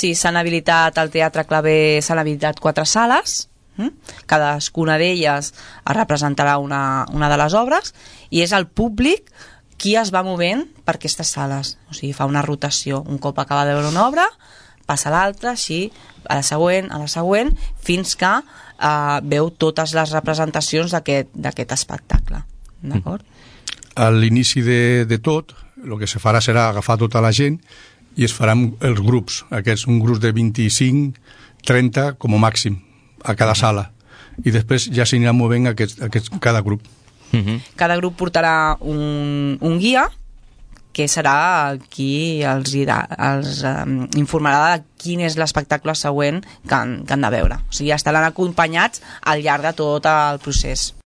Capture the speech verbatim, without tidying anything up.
Sí, s'han habilitat al Teatre Claver, s'han habilitat quatre sales, cadascuna d'elles representarà una, una de les obres, i és el públic qui es va movent per aquestes sales, o sigui, fa una rotació, un cop acaba de veure una obra passa a l'altra, així, a la següent, a la següent, fins que eh, veu totes les representacions d'aquest espectacle. D'acord? A l'inici de, de tot, el que se farà serà agafar tota la gent i es faran els grups, aquests, un grup de vint-i-cinc, trenta com a màxim, a cada sala. I després ja s'anirà movent aquest, aquest, cada grup. Uh-huh. Cada grup portarà un, un guia que serà qui els, dirà, els um, informarà de quin és l'espectacle següent que han, que han de veure. O sigui, estaran acompanyats al llarg de tot el procés.